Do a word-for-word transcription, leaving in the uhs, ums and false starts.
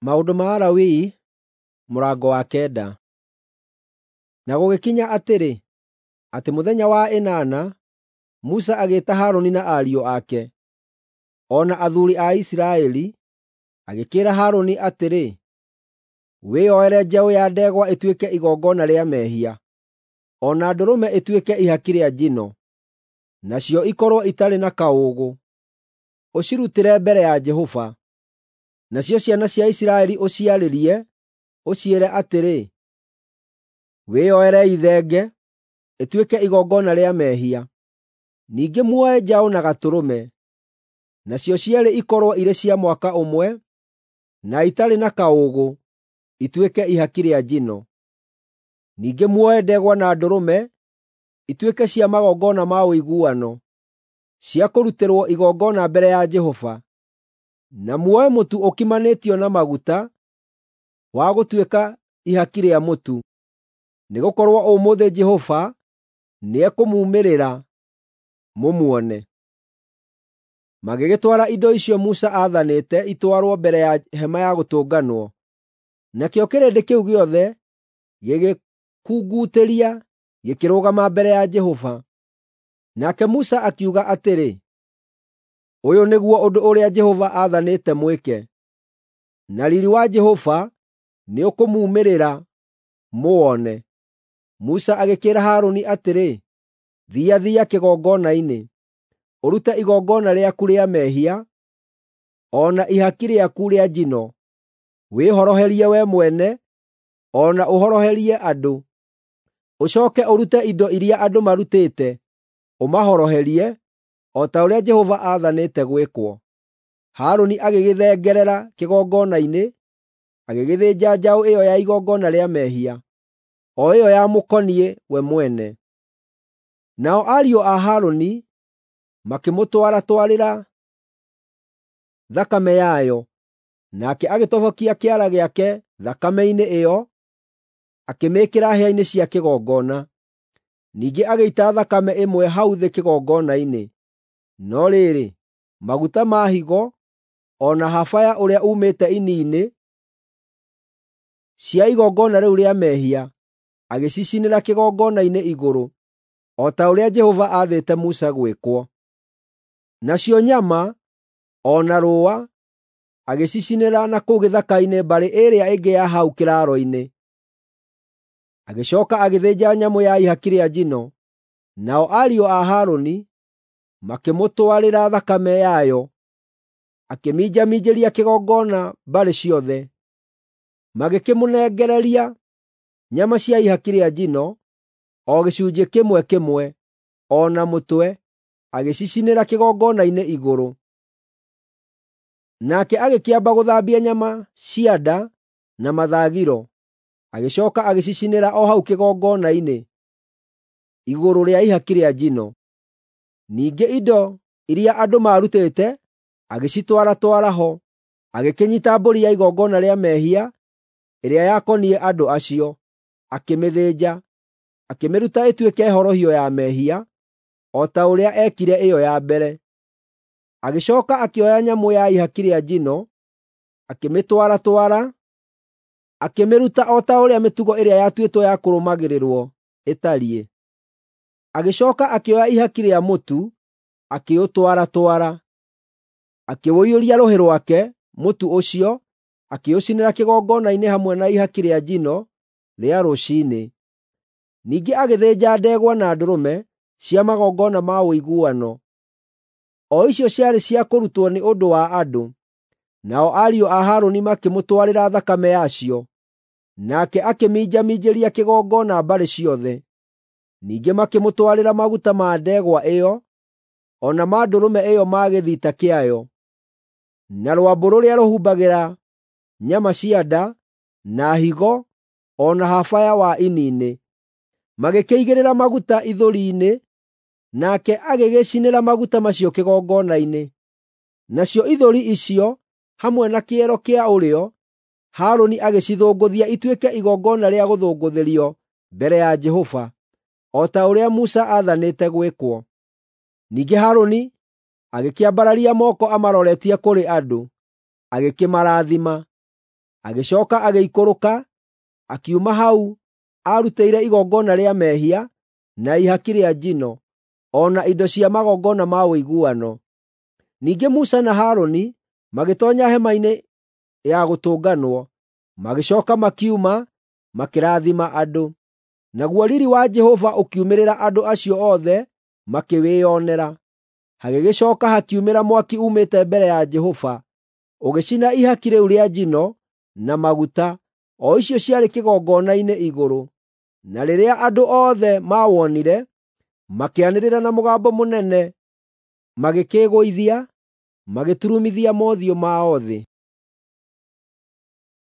Maũndũ ma Alawii mũrango wa kenda. Na gũgĩkinya atĩrĩ, atĩ mũthenya wa ĩnana, Musa agĩĩta Harũni na ariũ ake, o na athuuri a Isiraeli, agĩkĩĩra Harũni atĩrĩ, “Wĩyoere njaũ ya ndegwa ĩtuĩke igongona rĩa mehia, o na ndũrũme ĩtuĩke ihaki rĩa njino, nacio ikorwo itarĩ na kaũũgũ, ũcirutĩre mbere ya Jehova. Nacio ciana cia Isiraeli ũciarĩrie, ũciĩre atĩrĩ, ‘Wĩyoerei thenge, ĩtuĩke igongona rĩa mehia. Ningĩ muoe njaũ na gatũrũme, nacio cierĩ ikorwo irĩ cia mwaka ũmwe, na itarĩ na kaũũgũ, ituĩke ihaki rĩa njino. Ningĩ muoe ndegwa na ndũrũme ituĩke cia magongona ma ũiguano, cia kũrutĩrwo igongona mbere ya Jehova. Na muoe mũtu ũkimanĩtio na maguta wa gũtuĩka ihaki rĩa mũtu, nĩgũkorwo ũmũthĩ Jehova nĩekũmuumĩrĩra mũmuone.’ ” Magĩgĩtwara indo icio Musa aathanĩte itwarwo mbere ya Hema-ya-Gũtũnganwo. Nakĩo kĩrĩndĩ kĩu gĩothe gĩgĩkungutĩria gĩkĩrũgama mbere ya Jehova. Nake Musa akiuga atĩrĩ, “Ũyũ nĩguo ũndũ ũrĩa Jehova aathanĩte mwĩke, na riiri wa Jehova nĩũkũmuumĩrĩra mũwone.” Musa agĩkĩĩra Harũni atĩrĩ, “Thiathia kĩgongona-inĩ, ũrute igongona rĩaku rĩa mehia o na ihaki rĩaku rĩa njino, wĩhoroherie wee mwene o na ũhoroherie andũ. Ũcooke ũrute indo iria andũ marutĩte, ũmahoroherie, o ta ũrĩa Jehova aathanĩte gwĩkwo.” Harũni agĩgĩthengerera kĩgongona-inĩ, agĩgĩthĩnja njaũ ĩyo ya igongona rĩa mehia, o ĩyo yamũkoniĩ we mwene. Nao ariũ a Harũni makĩmũtwaratwarĩra thakame yayo, nake agĩtobokia kĩara gĩake thakame-inĩ ĩyo, akĩmĩĩkĩra hĩa-inĩ cia kĩgongona. Ningĩ agĩita thakame ĩmwe hau thĩ kĩgongona-inĩ. No rĩrĩ, maguta ma higo, o na habaya ũrĩa uumĩte ini-inĩ cia igongona rĩu rĩa mehia, agĩcicinĩra kĩgongona-inĩ igũrũ, o ta ũrĩa Jehova aathĩte Musa gwĩkwo. Nacio nyama, o na rũũa, agĩcicinĩra na kũu gĩthaka-inĩ mbarĩ ĩrĩa ĩngĩ ya hau kĩraaro-inĩ. Agĩcooka agĩthĩnja nyamũ ya ihaki rĩa njino, nao ariũ a Harũni makĩmũtwarĩra thakame yayo, akĩminjaminjĩria kĩgongona mbarĩ ciothe. Magĩkĩmũnengereria nyama cia ihaki rĩa njino, o gĩcunjĩ kĩmwe kĩmwe, o na mũtwe, agĩcicinĩra kĩgongona-inĩ igũrũ. Nake agĩkĩamba gũthambia nyama cia nda na mathagiro, agĩcooka agĩcicinĩra o hau kĩgongona-inĩ igũrũ rĩa ihaki rĩa njino. Ningĩ indo iria andũ maarutĩte agĩcitwaratwara ho, agĩkĩnyiita mbũri ya igongona rĩa mehia ĩrĩa yakoniĩ andũ acio, akĩmĩthĩnja, akĩmĩruta ĩtuĩke horohio ya mehia, o ta ũrĩa eekire ĩyo ya mbere. Agĩcooka akĩoya nyamũ ya ihaki rĩa njino, akĩmĩtwaratwara, akĩmĩruta o ta ũrĩa mĩtugo ĩrĩa yatuĩtwo ya kũrũmagĩrĩrwo ĩtariĩ. Agĩcooka akĩoya ihaki rĩa mũtu, akĩũtwaratwara, akĩũiyũria rũhĩ rwake mũtu ũcio, akĩũcinĩra kĩgongona-inĩ hamwe na ihaki rĩa njino rĩa rũciinĩ. Ningĩ agĩthĩnja ndegwa na ndũrũme cia magongona ma ũiguano, o icio ciarĩ cia kũrutwo nĩ ũndũ wa andũ. Nao ariũ a Harũni makĩmũtwarĩra thakame yacio, nake akĩminjaminjĩria kĩgongona mbarĩ ciothe. Ningĩ makĩmũtwarĩra maguta ma ndegwa ĩyo, o na ma ndũrũme ĩyo ma gĩthita kĩayo, na rwambũ rũrĩa rũhumbagĩra nyama cia nda, na higo, o na habaya wa ini-inĩ. Magĩkĩigĩrĩra maguta ithũri-inĩ, nake agĩgĩcinĩra maguta macio kĩgongona-inĩ. Nacio ithũri icio, hamwe na kĩero kĩa ũrĩo, Harũni agĩcithũngũthia ituĩke igongona rĩa gũthũngũthĩrio mbere ya Jehova, o ta ũrĩa Musa aathanĩte gwĩkwo. Ningĩ Harũni agĩkĩambararia moko amaroretie kũrĩ andũ, agĩkĩmarathima. Agĩcooka agĩikũrũka, akiuma hau aarutĩire igongona rĩa mehia, na ihaki rĩa njino, o na indo cia magongona ma ũiguano. Ningĩ Musa na Harũni magĩtoonya hema-inĩ ya gũtũnganwo, magĩcooka makiuma, makĩrathima andũ. Naguo riiri wa Jehova ũkiumĩrĩra andũ acio othe makĩwĩonera. Hagĩgĩcooka hakiumĩra mwaki uumĩte mbere ya Jehova, ũgĩcina ihaki rĩu rĩa njino na maguta, o icio ciarĩ kĩgongona-inĩ igũrũ. Na rĩrĩa andũ othe maawonire, makĩanĩrĩra na mũgambo mũnene, magĩkĩĩgũithia, magĩturumithia mothiũ mao thĩ.